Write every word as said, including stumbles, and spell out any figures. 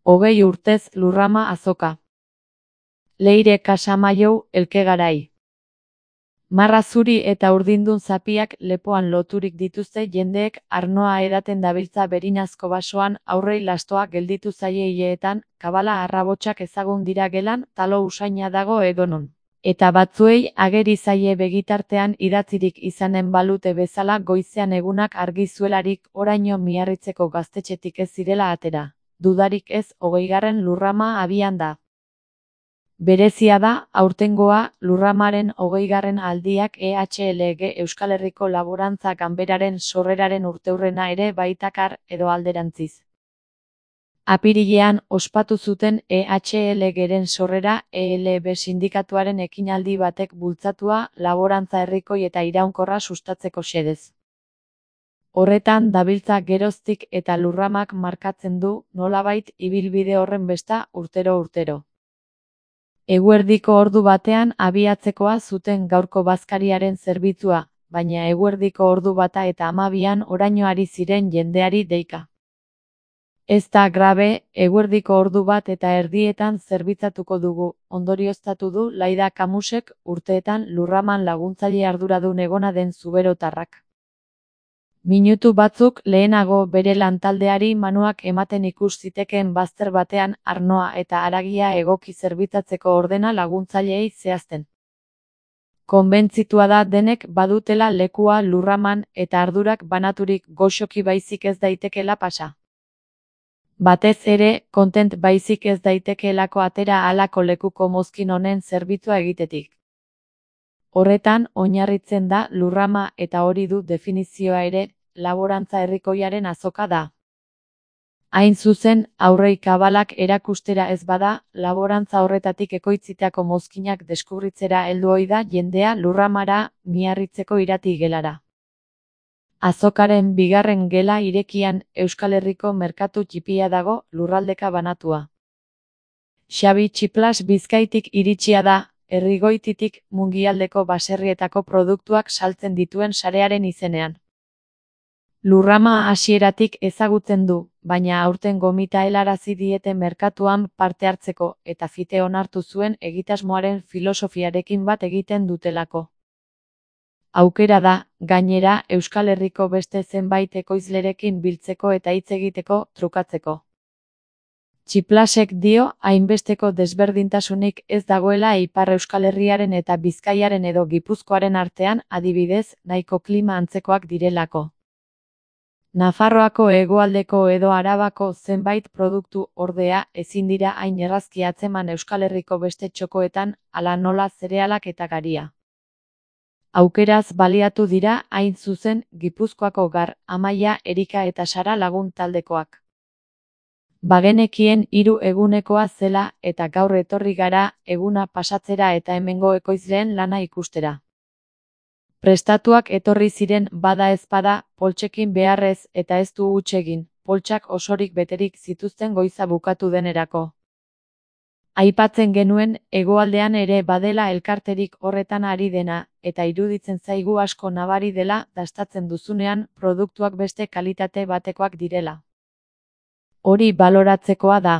Hogei urtez Lurrama azoka. Leire Casamaiou Elkegarai. Marra zuri eta urdindun zapiak lepoan loturik dituzte jendeek arnoa edaten dabiltza berinazko basoan aurrei lastoa gelditu zaie hileetan, kabala arrabotsak ezagun dira gelan, talo usaina dago edonon. Eta batzuei ageri zaie begitartean idatzirik izanen balute bezala goizean egunak argi zuelarik oraino Miarritzeko gaztetxetik ez zirela atera. Dudarik ez, hogeigarren Lurrama abian da. Berezia da, aurtengoa, Lurramaren hogeigarren aldiak E H L G Euskal Herriko Laborantza Ganberaren sorreraren urteurrena ere baitakar edo alderantziz. Apirilean ospatu zuten E H L Gren sorrera E L B sindikatuaren ekinaldi batek bultzatua laborantza herrikoi eta iraunkorra sustatzeko xedez. Horretan dabiltza geroztik eta Lurramak markatzen du, nolabait, ibilbide horren besta urtero-urtero. Eguerdiko ordu batean abiatzekoa zuten gaurko bazkariaren zerbitzua, baina eguerdiko ordu bata eta hamabian oraino ari ziren jendeari deika. Ez da grabe, eguerdiko ordu bat eta erdietan zerbitzatuko dugu, ondorioztatu du Laida Kamusek urteetan Lurraman laguntzaile arduradun egona den zuberotarrak. Minutu batzuk lehenago bere lantaldeari manuak ematen ikus zitekeen bazter batean arnoa eta haragia egoki zerbitzatzeko ordena laguntzaileei zehazten. Konbentzitua da denek badutela lekua Lurraman eta ardurak banaturik goxoki baizik ez daitekela pasa. Batez ere, kontent baizik ez daitekeelako atera halako lekuko mozkin honen zerbitzua egitetik. Horretan, oinarritzen da Lurrama eta hori du definizioa ere, laborantza herrikoiaren azoka da. Hain zuzen, aurrei kabalak erakustera ez bada, laborantza horretatik ekoitzitako mozkinak deskubritzera heldu ohi da jendea Lurramara, Miarritzeko irati gelara. Azokaren bigarren gela irekian Euskal Herriko merkatu txipia dago, lurraldeka banatua. Xabi Txiplas Bizkaitik iritsia da, Herrigoititik Mungialdeko baserrietako produktuak saltzen dituen sarearen izenean. Lurrama hasieratik ezagutzen du, baina aurten gomita helarazi diete merkatuan parte hartzeko eta fite onartu zuen egitasmoaren filosofiarekin bat egiten dutelako. Aukera da, gainera, Euskal Herriko beste zenbait ekoizlerekin biltzeko eta hitz egiteko, trukatzeko. Txiplasek dio, hainbesteko desberdintasunik ez dagoela Ipar Euskal Herriaren eta Bizkaiaren edo Gipuzkoaren artean, adibidez, nahiko klima antzekoak direlako. Nafarroako hegoaldeko edo Arabako zenbait produktu ordea ezin dira hain errazki atzeman Euskal Herriko beste txokoetan, hala nola zerealak eta garia. Aukeraz baliatu dira hain zuzen Gipuzkoako Gar, Amaia, Erika eta Sara lagun taldekoak. Bagenekien hiru egunekoa zela eta gaur etorri gara eguna pasatzera eta hemengo ekoizleen lana ikustera. Prestatuak etorri ziren bada ezpada, poltsekin beharrez eta ez du huts egin, poltsak osorik beterik zituzten goiza bukatu denerako. Aipatzen genuen, hegoaldean ere badela elkarterik horretan ari dena, eta iruditzen zaigu asko nabari dela dastatzen duzunean produktuak beste kalitate batekoak direla. Hori baloratzekoa da.